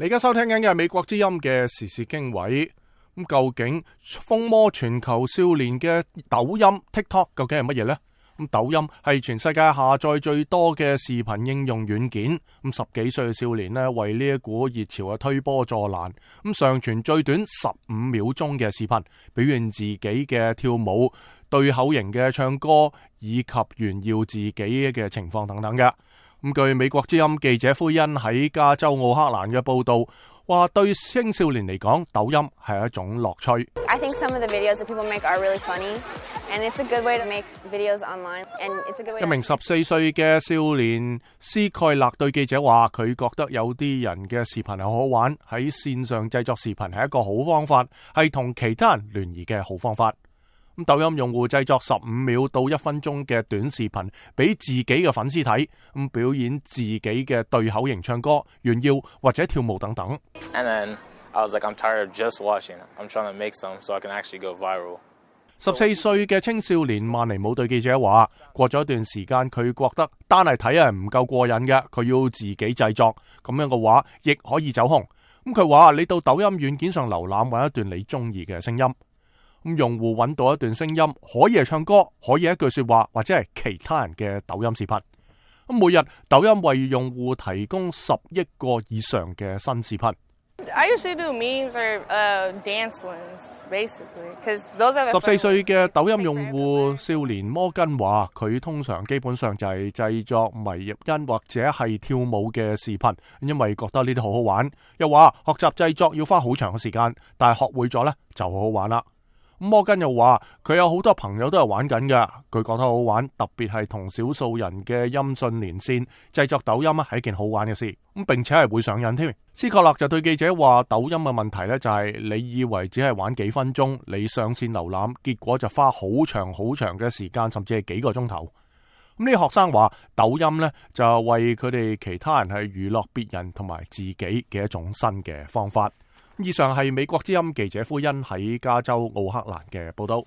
你而家收聽緊嘅係美國之音嘅時事經緯。咁究竟瘋魔全球少年嘅抖音 TikTok 究竟係乜嘢呢？咁抖音係全世界下載最多嘅視頻應用軟件。咁10幾歲嘅少年呢，為呢一股熱潮嘅推波助瀾，咁上傳最短15秒鐘嘅視頻，表現自己嘅跳舞、對口型嘅唱歌以及炫耀自己嘅情況等等嘅。咁據美國之音記者奎恩喺加州奧克蘭嘅報道，話對青少年嚟講，抖音係一種樂趣。I think some of the videos that people make are really funny, and it's a good way to make videos online, and it's a good way to... 一名14歲嘅少年斯蓋勒對記者話，佢覺得有啲人嘅視頻係好玩，喺線上製作視頻係一個好方法，係同其他人聯誼嘅好方法。咁抖音用戶製作15秒到1分鐘嘅短視頻，俾自己嘅粉絲睇，咁表演自己嘅對口型唱歌、炫耀或者跳舞等等。And then I was like, I'm tired of just watching. I'm trying to make some so I can actually go viral. 14歲嘅青少年曼尼姆對記者話，過咗一段時間，佢覺得單係睇係唔夠過癮嘅，佢要自己製作，咁樣嘅話亦可以走紅。咁佢話你到抖音軟件上瀏覽揾一段你中意嘅聲音。咁用戶揾到一段聲音，可以係唱歌，可以係一句說話，或者係其他人嘅抖音視頻。咁每日抖音為用戶提供10億個以上嘅新視頻。I usually do memes or dance ones, basically, because those are the... 14歲嘅抖音用戶少年摩根話，佢通常基本上就係製作迷入音或者係跳舞嘅視頻，因為覺得呢啲好好玩。又話學習製作要花好長嘅時間，但係學會咗呢就好好玩啦。摩根又話佢有好多朋友都係玩緊嘅，佢覺得好玩，特別係同少數人嘅音訊連線，製作抖音係一件好玩嘅事，咁並且係會上癮添。斯科勒就對記者話，抖音嘅問題呢就係你以為只係玩幾分鐘，你上線瀏覽，結果就花好長好長嘅時間，甚至係幾個鐘頭。咁呢啲學生話抖音呢就為佢哋其他人係娛樂別人同埋自己嘅一種新嘅方法。以上係美國之音記者奎恩喺加州奧克蘭嘅報道。